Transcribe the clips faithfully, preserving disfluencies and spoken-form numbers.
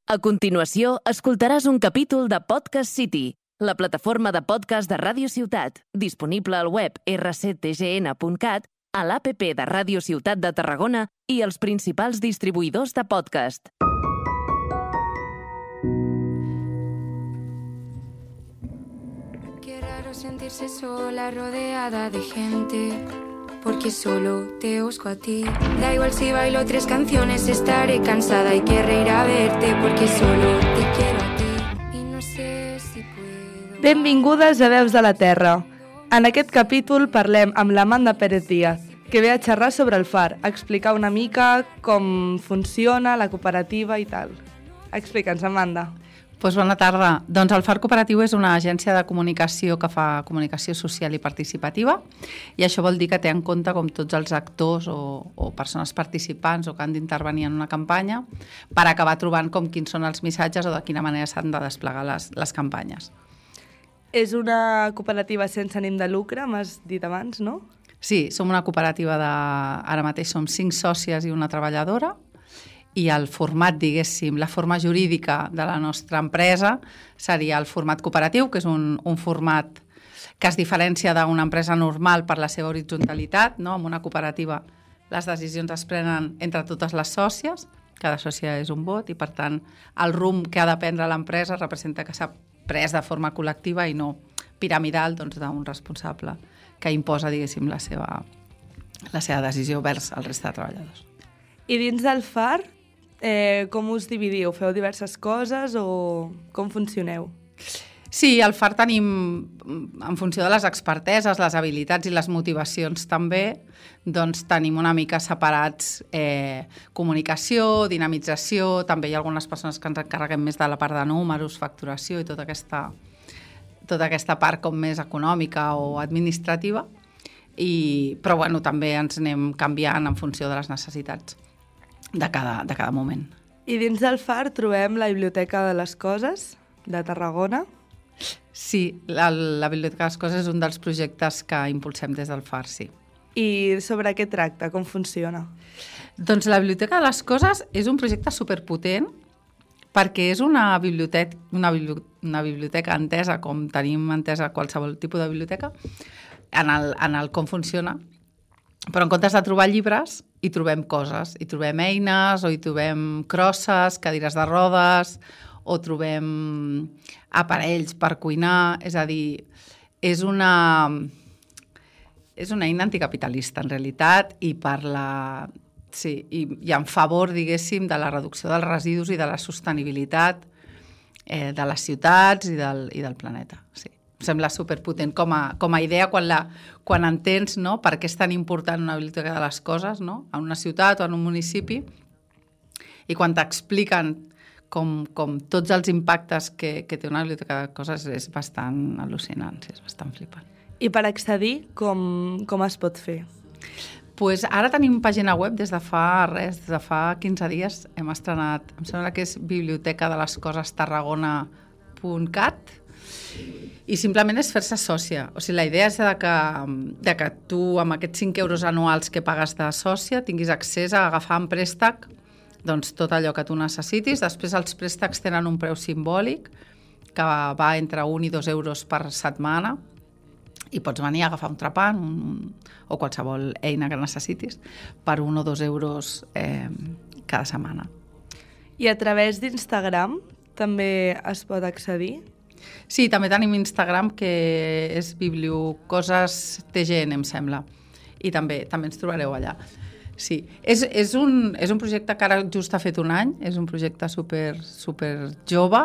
A continuació, escoltaràs un capítol de Podcast City, la plataforma de podcast de Ràdio Ciutat, disponible al web erre ce te ge ene punt cat, a l'A P P de Ràdio Ciutat de Tarragona i els principals distribuïdors de podcast. Qué raro sentirse sola, rodeada de gente, porque solo te busco a ti. Da igual si bailo tres canciones, estaré cansada y querré ir a verte, porque solo te quiero a ti y no sé si puedo. Benvingudes a Veus de la Terra. En aquest capítol parlem amb l'Amanda Pérez Díaz, que ve a xerrar sobre el Far, a explicar una mica com funciona la cooperativa i tal. Explica'ns, Amanda. Pues bona tarda. Doncs el Far Cooperatiu és una agència de comunicació que fa comunicació social i participativa, i això vol dir que té en compte com tots els actors o, o persones participants o que han d'intervenir en una campanya per acabar trobant com quins són els missatges o de quina manera s'han de desplegar les, les campanyes. És una cooperativa sense ànim de lucre, m'has dit abans, no? Sí, som una cooperativa de... Ara mateix som cinc sòcies i una treballadora, i el format, diguéssim, la forma jurídica de la nostra empresa seria el format cooperatiu, que és un, un format que es diferencia d'una empresa normal per la seva horitzontalitat, no? En una cooperativa les decisions es prenen entre totes les sòcies, cada sòcia és un vot, i per tant el rumb que ha de prendre l'empresa representa que s'ha pres de forma col·lectiva i no piramidal, doncs, d'un responsable que imposa, diguéssim, la seva, la seva decisió vers el resta de treballadors. I dins del Far, Eh, com us dividiu? Feu diverses coses o com funcioneu? Sí, al Far tenim, en funció de les experteses, les habilitats i les motivacions també, doncs tenim una mica separats eh, comunicació, dinamització, també hi ha algunes persones que ens encarreguem més de la part de números, facturació i tota aquesta, tota aquesta part com més econòmica o administrativa, i, però bueno, també ens anem canviant en funció de les necessitats de cada, de cada moment. I dins del Far trobem la Biblioteca de les Coses de Tarragona. Sí, la, la Biblioteca de les Coses és un dels projectes que impulsem des del Far, sí. I sobre què tracta? Com funciona? Doncs la Biblioteca de les Coses és un projecte superpotent perquè és una biblioteca, una, bibli, una biblioteca entesa com tenim entesa qualsevol tipus de biblioteca en el, en el com funciona, però en comptes de trobar llibres, hi trobem coses, hi trobem eines, o hi trobem crosses, cadires de rodes, o trobem aparells per cuinar, és a dir, és una, és una eina anticapitalista, en realitat, i per la... Sí, i, i en favor, diguéssim, de la reducció dels residus i de la sostenibilitat eh, de les ciutats i del, i del planeta, sí. Em sembla superpotent com a, com a idea quan, la, quan entens, no, per què és tan important una biblioteca de les coses, no, en una ciutat o en un municipi, i quan t'expliquen com, com tots els impactes que, que té una biblioteca de coses és bastant al·lucinant, sí, és bastant flipant. I per accedir, com, com es pot fer? Pues ara tenim pàgina web des de fa res, des de fa quinze dies hem estrenat, em sembla que és biblioteca de les coses tarragona punt cat, i simplement és fer-se sòcia. O sigui, la idea és de que, de que tu, amb aquests cinc euros anuals que pagues de sòcia, tinguis accés a agafar en préstec doncs, tot allò que tu necessitis. Després els préstecs tenen un preu simbòlic que va entre un i dos euros per setmana, i pots venir a agafar un trepant un, un, o qualsevol eina que necessitis per un o dos euros eh, cada setmana. I a través d'Instagram també es pot accedir? Sí, també tenim Instagram, que és bibliocosestgn, em sembla, i també també ens trobareu allà. Sí, és, és, un, és un projecte que ara just ha fet un any, és un projecte super, super jove,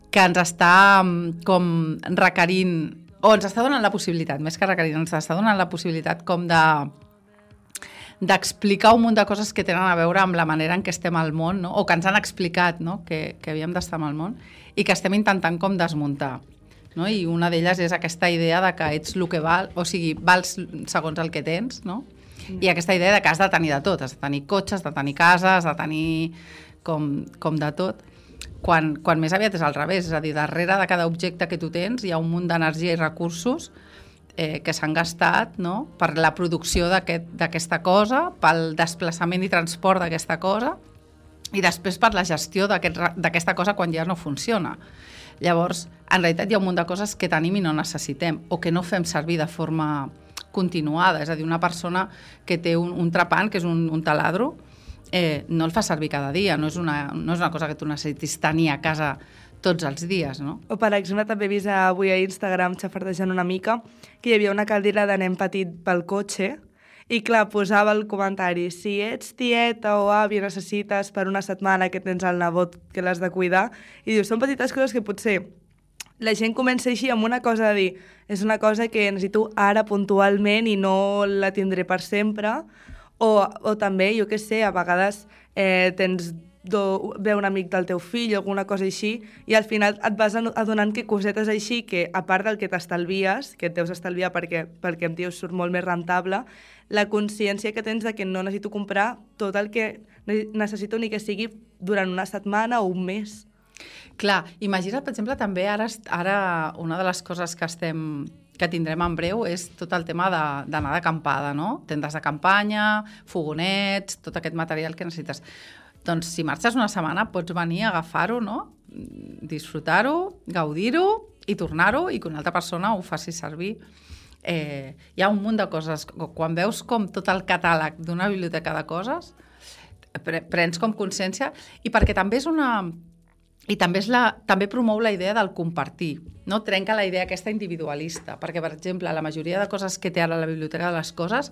que ens està com requerint, o ens està donant la possibilitat, més que requerint, ens està donant la possibilitat com de d'explicar un munt de coses que tenen a veure amb la manera en què estem al món, no? O que ens han explicat, no? que, que havíem d'estar al món, i que estem intentant com desmuntar. No? I una d'elles és aquesta idea de que ets el que val, o sigui, vals segons el que tens, no? Mm. I aquesta idea de que has de tenir de tot, has de tenir cotxes, has de tenir cases, has de tenir com, com de tot, quan, quan més aviat és al revés, és a dir, darrere de cada objecte que tu tens hi ha un munt d'energia i recursos eh, que s'han gastat, no? Per la producció d'aquesta aquest, cosa, pel desplaçament i transport d'aquesta cosa, i després per la gestió d'aquesta cosa quan ja no funciona. Llavors, en realitat hi ha un munt de coses que tenim i no necessitem, o que no fem servir de forma continuada. És a dir, una persona que té un, un trepant, que és un, un taladro, eh, no el fa servir cada dia, no és, una, no és una cosa que tu necessitis tenir a casa tots els dies, no? O, per exemple, també he vist avui a Instagram, xafardejant una mica, que hi havia una cadira de nen petit pel cotxe, i clar, posava el comentari, si ets tieta o àvia, necessites per una setmana que tens el nebot que l'has de cuidar, i dius, són petites coses que potser la gent comença així amb una cosa de dir, és una cosa que necessito ara puntualment i no la tindré per sempre, o, o també, jo què sé, a vegades eh, tens do, ve un amic del teu fill o alguna cosa així, i al final et vas adonant que cosetes així, que a part del que t'estalvies, que et deus estalviar perquè, perquè amb ti us surt molt més rentable, la consciència que tens de que no necessito comprar tot el que necessito ni que sigui durant una setmana o un mes. Clar, imagina't, per exemple, també ara, ara una de les coses que estem que tindrem en breu és tot el tema d'anar d'acampada, no? Tendes de campanya, fogonets, tot aquest material que necessites. Doncs si marxes una setmana pots venir a agafar-ho, no? Disfrutar-ho, gaudir-ho i tornar-ho i que una altra persona ho faci servir. Eh, hi ha un munt de coses. Quan veus com tot el catàleg d'una biblioteca de coses, pre prens com consciència, i perquè també és una... I també, és la, també promou la idea del compartir, no? Trenca la idea aquesta individualista, perquè, per exemple, la majoria de coses que té ara la Biblioteca de les Coses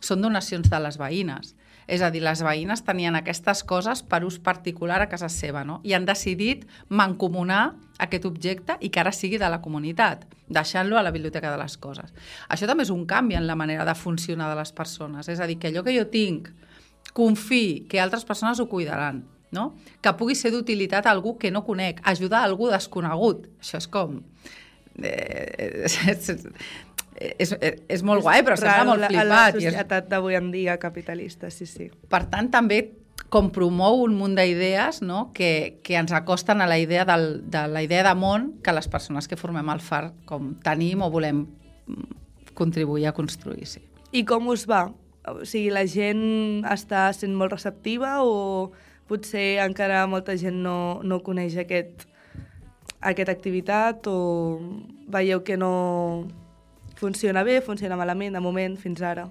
són donacions de les veïnes. És a dir, les veïnes tenien aquestes coses per ús particular a casa seva, no? I han decidit mancomunar aquest objecte i que ara sigui de la comunitat, deixant-lo a la Biblioteca de les Coses. Això també és un canvi en la manera de funcionar de les persones. És a dir, que allò que jo tinc, confiï que altres persones ho cuidaran, no? Que pugui ser d'utilitat a algú que no conec, ajudar a algú desconegut. Això és com... Eh, és, és, és, és molt guai, però sembla molt flipat. A la societat d'avui en dia capitalista, sí, sí. Per tant, també com promou un munt d'idees, no? que, que ens acosten a la idea del, de la idea de món que les persones que formem el F A R com tenim o volem contribuir a construir. Sí. I com us va? O sigui, la gent està sent molt receptiva o potser encara molta gent no, no coneix aquest, aquesta activitat o veieu que no funciona bé, funciona malament, de moment, fins ara?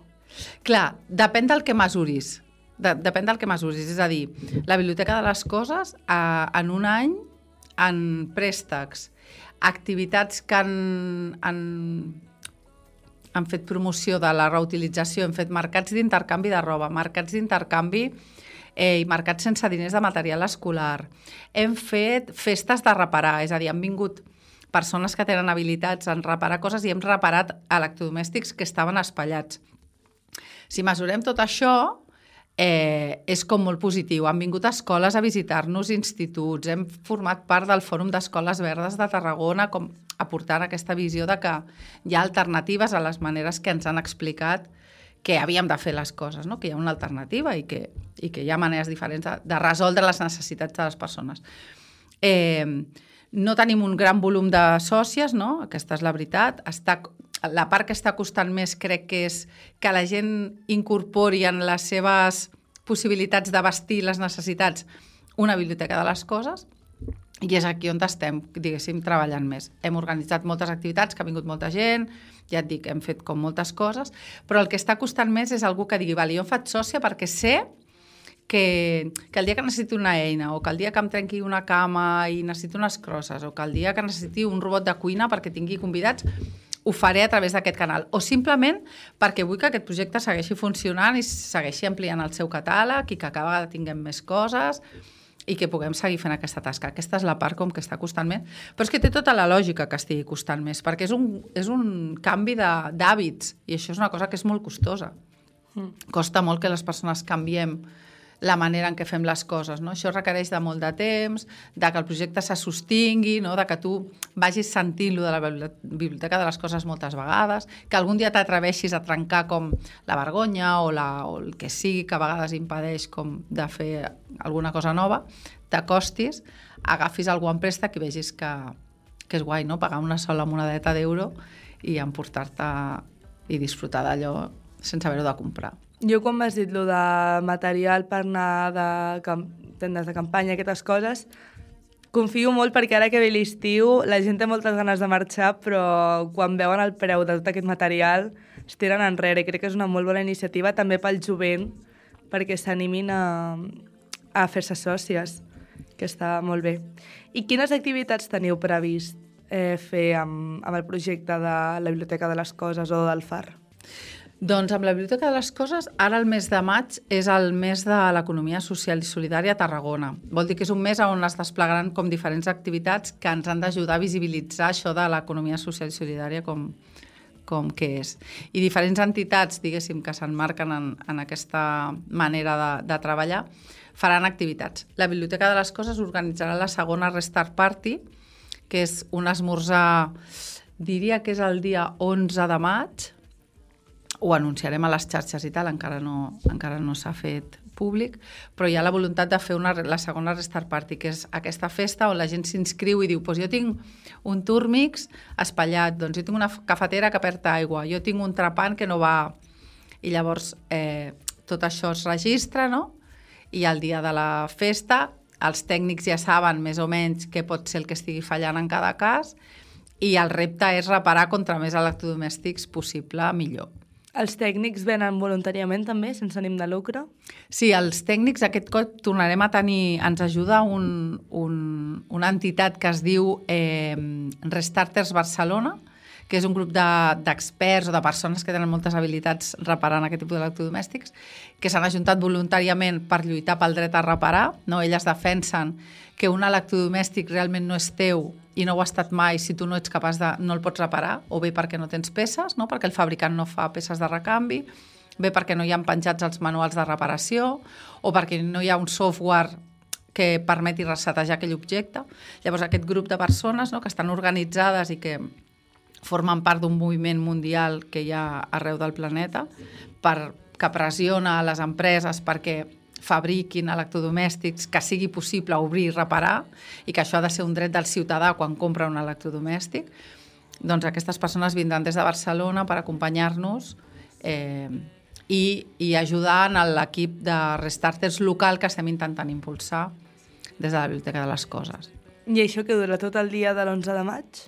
Clar, depèn del que mesuris. De, depèn del que mesuris. És a dir, la Biblioteca de les Coses, eh, en un any, en préstecs, activitats que han, han, han fet promoció de la reutilització, hem fet mercats d'intercanvi de roba, mercats d'intercanvi Eh, i mercats sense diners de material escolar. Hem fet festes de reparar, és a dir, han vingut persones que tenen habilitats en reparar coses i hem reparat electrodomèstics que estaven espatllats. Si mesurem tot això, eh, és com molt positiu. Han vingut escoles a visitar-nos, instituts, hem format part del Fòrum d'Escoles Verdes de Tarragona, com aportant aquesta visió de que hi ha alternatives a les maneres que ens han explicat que havíem de fer les coses, no? Que hi ha una alternativa i que, i que hi ha maneres diferents de, de resoldre les necessitats de les persones. Eh, no tenim un gran volum de sòcies, no? Aquesta és la veritat. Està, la part que està costant més crec que és que la gent incorpori en les seves possibilitats de vestir les necessitats una biblioteca de les coses, i és aquí on estem, diguéssim, treballant més. Hem organitzat moltes activitats, que ha vingut molta gent, ja et dic, hem fet com moltes coses, però el que està costant més és algú que digui, vale, jo em faig sòcia perquè sé que, que el dia que necessiti una eina, o que el dia que em trenqui una cama i necessiti unes crosses, o que el dia que necessiti un robot de cuina perquè tingui convidats, ho faré a través d'aquest canal. O simplement perquè vull que aquest projecte segueixi funcionant i segueixi ampliant el seu catàleg i que cada vegada tinguem més coses i que puguem seguir fent aquesta tasca. Aquesta és la part com que està costant més. Però és que té tota la lògica que estigui costant més, perquè és un, és un canvi d'hàbits i això és una cosa que és molt costosa. Mm. Costa molt que les persones canviem la manera en què fem les coses, no? Això requereix de molt de temps, de que el projecte se sostingui, no? De que tu vagis sentint-lo de la Biblioteca de les Coses moltes vegades, que algun dia t'atreveixis a trencar com la vergonya o, la, o el que sigui que a vegades impedeix com de fer alguna cosa nova, t'acostis, agafis algú en préstec i vegis que, que és guai, no? Pagar una sola monedeta d'euro i emportar-te i disfrutar d'allò sense haver-ho de comprar. Jo quan m'has dit lo de material per anar de camp tendes de campanya, aquestes coses. Confio molt perquè ara que ve l'estiu la gent té moltes ganes de marxar, però quan veuen el preu de tot aquest material es tiren enrere. Crec que és una molt bona iniciativa també pel jovent, perquè s'animin a, a fer-se sòcies, que està molt bé. I quines activitats teniu previst eh, fer amb, amb el projecte de la Biblioteca de les Coses o del Far? Doncs amb la Biblioteca de les Coses, ara el mes de maig és el mes de l'economia social i solidària a Tarragona. Vol dir que és un mes on es desplegaran com diferents activitats que ens han d'ajudar a visibilitzar això de l'economia social i solidària com, com que és. I diferents entitats, diguéssim, que s'emmarquen en, en aquesta manera de, de treballar, faran activitats. La Biblioteca de les Coses organitzarà la segona Restart Party, que és un esmorzar, diria que és el dia onze de maig, ho anunciarem a les xarxes i tal, encara no, encara no s'ha fet públic, però hi ha la voluntat de fer una, la segona Restart Party, que és aquesta festa on la gent s'inscriu i diu, doncs jo tinc un Turmix espatllat, doncs jo tinc una cafetera que perd aigua, jo tinc un trepant que no va... I llavors eh, tot això es registra, no? I el dia de la festa els tècnics ja saben més o menys què pot ser el que estigui fallant en cada cas i el repte és reparar contra més electrodomèstics possible millor. Els tècnics venen voluntàriament també, sense ànim de lucre? Sí, els tècnics aquest cop tornarem a tenir... Ens ajuda un, un, una entitat que es diu eh, Restarters Barcelona, que és un grup d'experts de, o de persones que tenen moltes habilitats reparant aquest tipus d'electrodomèstics, que s'han ajuntat voluntàriament per lluitar pel dret a reparar. No? Elles defensen que un electrodomèstic realment no és teu i no ho ha estat mai si tu no ets capaç de... no el pots reparar, o bé perquè no tens peces, no? Perquè el fabricant no fa peces de recanvi, bé perquè no hi ha penjats els manuals de reparació, o perquè no hi ha un software que permeti resetejar aquell objecte. Llavors aquest grup de persones, no?, que estan organitzades i que formen part d'un moviment mundial que hi ha arreu del planeta, per, que pressiona a les empreses perquè fabriquin electrodomèstics, que sigui possible obrir i reparar, i que això ha de ser un dret del ciutadà quan compra un electrodomèstic. Doncs aquestes persones vindran des de Barcelona per acompanyar-nos eh, i, i ajudar en l'equip de Restarters local que estem intentant impulsar des de la Biblioteca de les Coses. I això que dura tot el dia de l'onze de maig?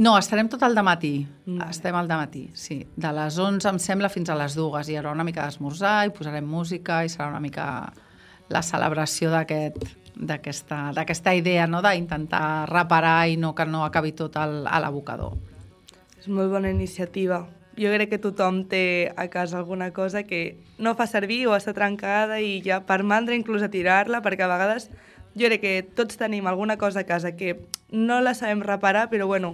No, estarem tot el dematí. Vale. Estem al dematí, sí. De les onze, em sembla, fins a les dues. Hi haurà una mica d'esmorzar i posarem música i serà una mica la celebració d'aquest, d'aquesta, d'aquesta idea, no?, d'intentar reparar i no que no acabi tot al, a l'abocador. És molt bona iniciativa. Jo crec que tothom té a casa alguna cosa que no fa servir o està trencada i ja per mandra inclús a tirar-la, perquè a vegades jo crec que tots tenim alguna cosa a casa que no la sabem reparar, però bueno,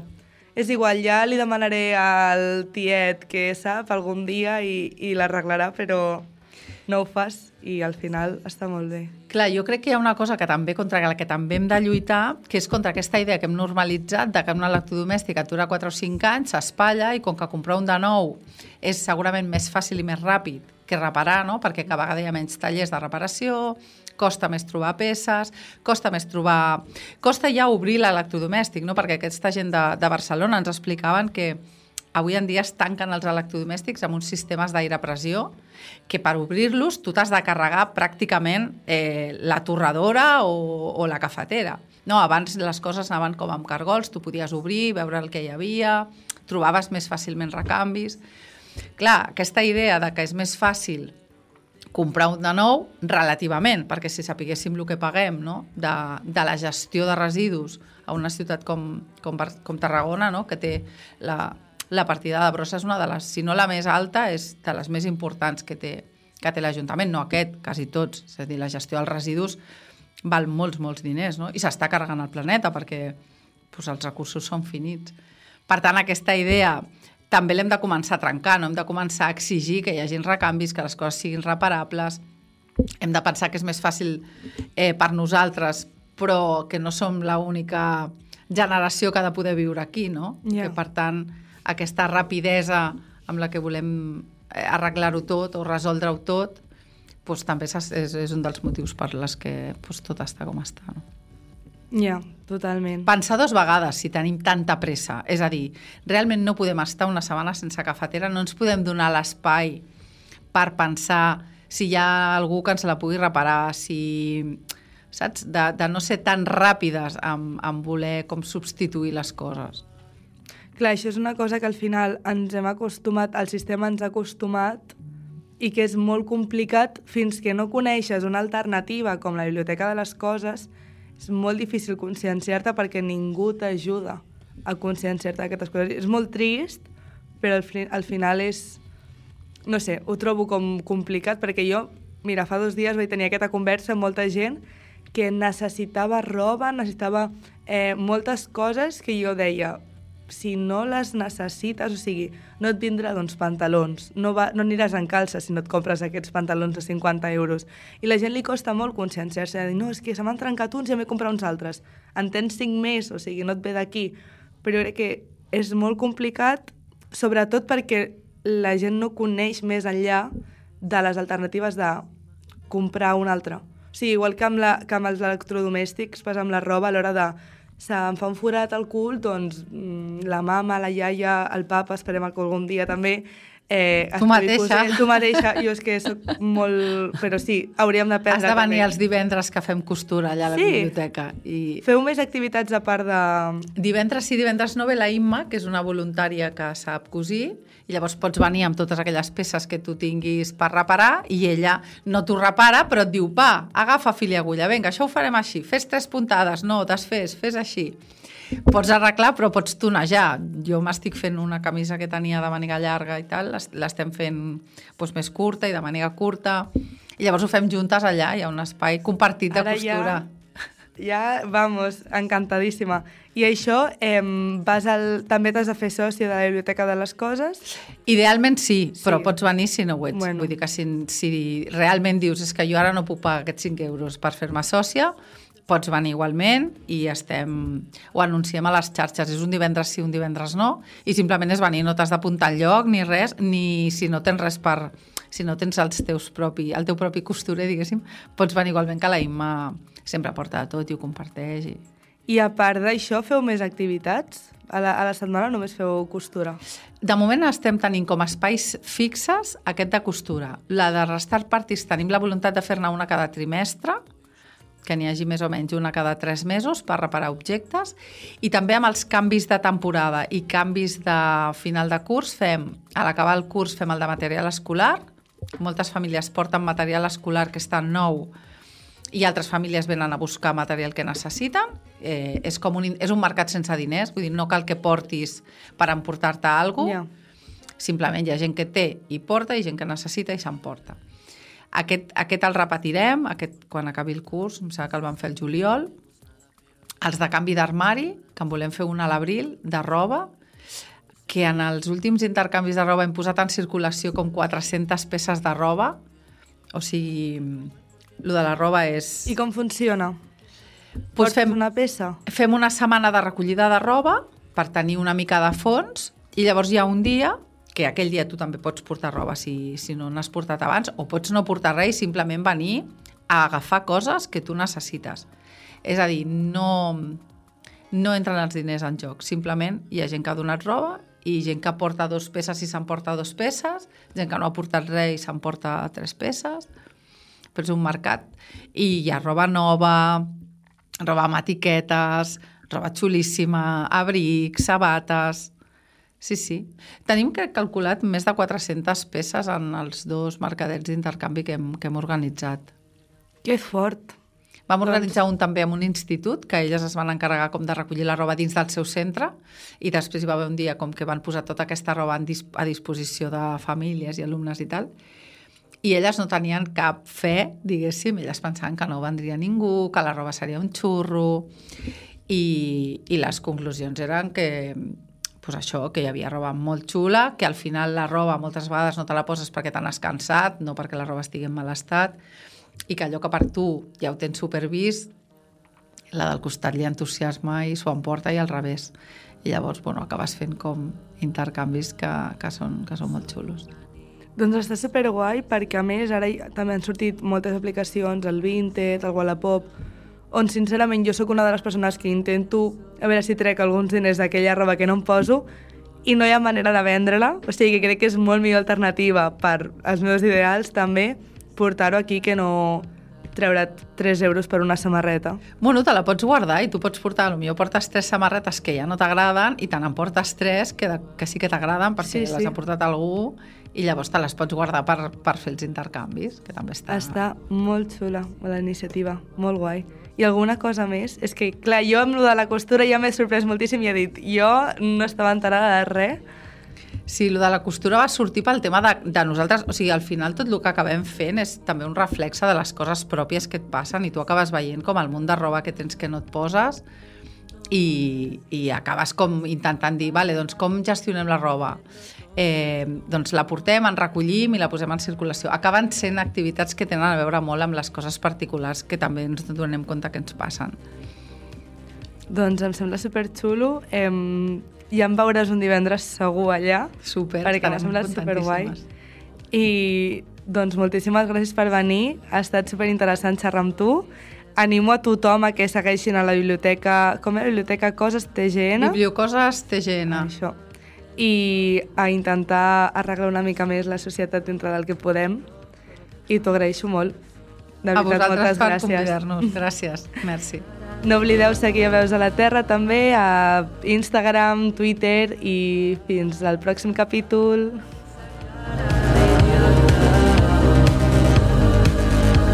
és igual, ja li demanaré al tiet que sap algun dia i, i l'arreglarà, però no ho fas i al final està molt bé. Clar, jo crec que hi ha una cosa que també contra la que també hem de lluitar, que és contra aquesta idea que hem normalitzat de que un electrodomèstic et dura quatre o cinc anys, s'espatlla i com que comprar un de nou és segurament més fàcil i més ràpid que reparar, no?, perquè cada vegada hi ha menys tallers de reparació, costa més trobar peces, costa més trobar... Costa ja obrir l'electrodomèstic, no?, perquè aquesta gent de, de Barcelona ens explicaven que avui en dia es tanquen els electrodomèstics amb uns sistemes d'aire pressió que per obrir-los tu t'has de carregar pràcticament eh, la torradora o, o la cafetera. No, abans les coses anaven com amb cargols, tu podies obrir, veure el que hi havia, trobaves més fàcilment recanvis. Clar, aquesta idea de que és més fàcil comprar un de nou, relativament, perquè si sapiguéssim el que paguem, no?, de, de la gestió de residus a una ciutat com, com, com Tarragona, no?, que té la, la partida de brossa és una de les, si no la més alta, és de les més importants que té, que té l'Ajuntament, no aquest, quasi tots. És a dir, la gestió dels residus val molts, molts diners, no?, i s'està carregant el planeta perquè doncs, els recursos són finits. Per tant, aquesta idea també l'hem de començar a trencar, no? Hem de començar a exigir que hi hagi recanvis, que les coses siguin reparables. Hem de pensar que és més fàcil eh, per nosaltres, però que no som l'única generació que ha de poder viure aquí, no? Yeah. Que, per tant, aquesta rapidesa amb la que volem arreglar-ho tot o resoldre-ho tot, doncs, també és, és, és un dels motius per les que doncs, tot està com està, no? Ja, yeah, totalment. Pensar dos vegades si tenim tanta pressa. És a dir, realment no podem estar una setmana sense cafetera, no ens podem donar l'espai per pensar si hi ha algú que ens la pugui reparar, si saps? De, de no ser tan ràpides en, en voler com substituir les coses. Clar, això és una cosa que al final ens hem acostumat, el sistema ens ha acostumat i que és molt complicat fins que no coneixes una alternativa com la Biblioteca de les Coses, és molt difícil conscienciar-te perquè ningú t'ajuda a conscienciar-te d'aquestes coses. És molt trist, però al, fi, al final és... No sé, ho trobo com complicat perquè jo, mira, fa dos dies vaig tenir aquesta conversa amb molta gent que necessitava roba, necessitava eh, moltes coses que jo deia, si no les necessites, o sigui, no et vindrà d'uns pantalons, no, va, no aniràs en calça si no et compres aquests pantalons de cinquanta euros. I la gent li costa molt conscienciar-se, de dir, no, és que se m'han trencat uns i m'he comprat uns altres. En tens cinc més, o sigui, no et ve d'aquí. Però jo crec que és molt complicat, sobretot perquè la gent no coneix més enllà de les alternatives de comprar un altre. O sigui, igual que amb, la, que amb els electrodomèstics, pas amb la roba, a l'hora de se'm fa un forat al cul, doncs la mama, la iaia, el papa, esperem que algun dia també... Eh, tu mateixa. Cosent, tu mateixa. Jo és que soc molt... Però sí, hauríem d'aprendre també. Has de venir també. Els divendres que fem costura allà a la sí. biblioteca. I... Feu més activitats a part de... Divendres sí, divendres no ve la Imma, que és una voluntària que sap cosir, i llavors pots venir amb totes aquelles peces que tu tinguis per reparar, i ella no t'ho repara, però et diu, va, agafa fil i agulla, vinga, això ho farem així, fes tres puntades, no, desfés, fes així. Pots arreglar, però pots tonejar. Jo m'estic fent una camisa que tenia de màniga llarga i tal, l'estem fent doncs, més curta i de màniga curta, i llavors ho fem juntes allà, hi ha un espai compartit de Ara costura. Ja, ja, vamos, encantadíssima. I això, eh, vas al, també t'has de fer sòcia de la Biblioteca de les Coses? Idealment sí, sí. però pots venir si no ho ets. Bueno. Vull dir que si, si realment dius és que jo ara no puc pagar aquests cinc euros per fer-me sòcia, pots venir igualment i estem, ho anunciem a les xarxes. És un divendres sí, un divendres no, i simplement és venir, no t'has d'apuntar al lloc ni res, ni si no tens res per... Si no tens els teus propi, el teu propi costurer, diguéssim, pots venir igualment, que la Imma sempre porta de tot i ho comparteix. I, I a part d'això, feu més activitats? A la, a la setmana només feu costura? De moment estem tenint com a espais fixes aquest de costura. La de Restart Parties tenim la voluntat de fer-ne una cada trimestre, que n'hi hagi més o menys una cada tres mesos per reparar objectes, i també amb els canvis de temporada i canvis de final de curs fem, a l'acabar el curs fem el de material escolar, moltes famílies porten material escolar que està nou i altres famílies venen a buscar material que necessiten, eh, és, com un, és un mercat sense diners, vull dir, no cal que portis per emportar-te alguna cosa, yeah. Simplement hi ha gent que té i porta i gent que necessita i s'emporta. Aquest, aquest el repetirem, aquest, quan acabi el curs, em sembla que el vam fer el juliol. Els de canvi d'armari, que en volem fer un a l'abril, de roba, que en els últims intercanvis de roba hem posat en circulació com quatre-centes peces de roba. O sigui, el de la roba és... I com funciona? Pues fem una peça? Fem una setmana de recollida de roba per tenir una mica de fons, i llavors hi ha un dia que aquell dia tu també pots portar roba si, si no n'has portat abans, o pots no portar res i simplement venir a agafar coses que tu necessites. És a dir, no, no entren els diners en joc, simplement hi ha gent que ha donat roba i gent que porta dos peces i s'emporta dos peces, gent que no ha portat res i s'emporta tres peces, però és un mercat. I hi ha roba nova, roba amb etiquetes, roba xulíssima, abrics, sabates... Sí, sí. Tenim crec calculat més de quatre-centes peces en els dos mercadets d'intercanvi que hem, que hem organitzat. Que fort! Vam organitzar un també amb un institut, que elles es van encarregar com de recollir la roba dins del seu centre, i després hi va haver un dia com que van posar tota aquesta roba a disposició de famílies i alumnes i tal, i elles no tenien cap fe, diguéssim, elles pensaven que no vendria ningú, que la roba seria un xurro, i, i les conclusions eren que... pues això, que hi havia roba molt xula, que al final la roba moltes vegades no te la poses perquè t'han cansat, no perquè la roba estigui en mal estat, i que allò que per tu ja ho tens supervist, la del costat li entusiasma i s'ho emporta i al revés. I llavors, bueno, acabes fent com intercanvis que, que, són, que són molt xulos. Doncs està superguai perquè, a més, ara també han sortit moltes aplicacions, el Vinted, el Wallapop, on sincerament jo sóc una de les persones que intento a veure si trec alguns diners d'aquella roba que no em poso i no hi ha manera de vendre-la, o sigui que crec que és molt millor alternativa per als meus ideals també portar-ho aquí que no, treure't tres euros per una samarreta. Bueno, te la pots guardar i tu pots portar, potser portes tres samarretes que ja no t'agraden i te n'emportes tres que, que sí que t'agraden perquè Sí, sí, sí. les ha portat algú i llavors te les pots guardar per, per fer els intercanvis, que també està... Està molt xula la iniciativa, molt guai. I alguna cosa més? És que, clar, jo amb lo de la costura ja m'he sorprès moltíssim i he dit, jo no estava enterada de res. Sí, el de la costura va sortir pel tema de, de nosaltres, o sigui, al final tot el que acabem fent és també un reflexe de les coses pròpies que et passen i tu acabes veient com el munt de roba que tens que no et poses i, i acabes com intentant dir, vale, doncs com gestionem la roba? Eh, doncs la portem, en recollim i la posem en circulació. Acaben sent activitats que tenen a veure molt amb les coses particulars que també ens donem compte que ens passen. Doncs em sembla superxulo. Eh, ja em veuràs un divendres segur allà. Super, perquè m'ha semblat superguai. I doncs moltíssimes gràcies per venir. Ha estat superinteressant xerrar amb tu. Animo a tothom a que segueixin a la biblioteca... Com era? Biblioteca Coses T G N? Bibliocoses T G N. Això. I a intentar arreglar una mica més la societat dintre del que podem. I t'ho agraeixo molt. De A veritat, vosaltres moltes per gràcies. convidar-nos. Gràcies, merci. No oblideu seguir a Veus a la Terra també a Instagram, Twitter i fins al pròxim capítol.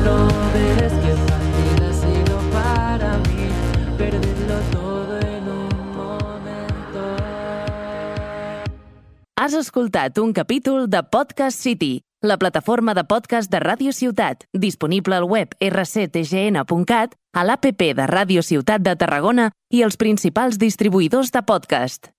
No ves que fácil ha sido para mí perderlo todo en un momento. Has escoltat un capítol de Podcast City, la plataforma de podcast de Ràdio Ciutat, disponible al web r c t g n punt cat, a l'A P P de Ràdio Ciutat de Tarragona i els principals distribuïdors de podcast.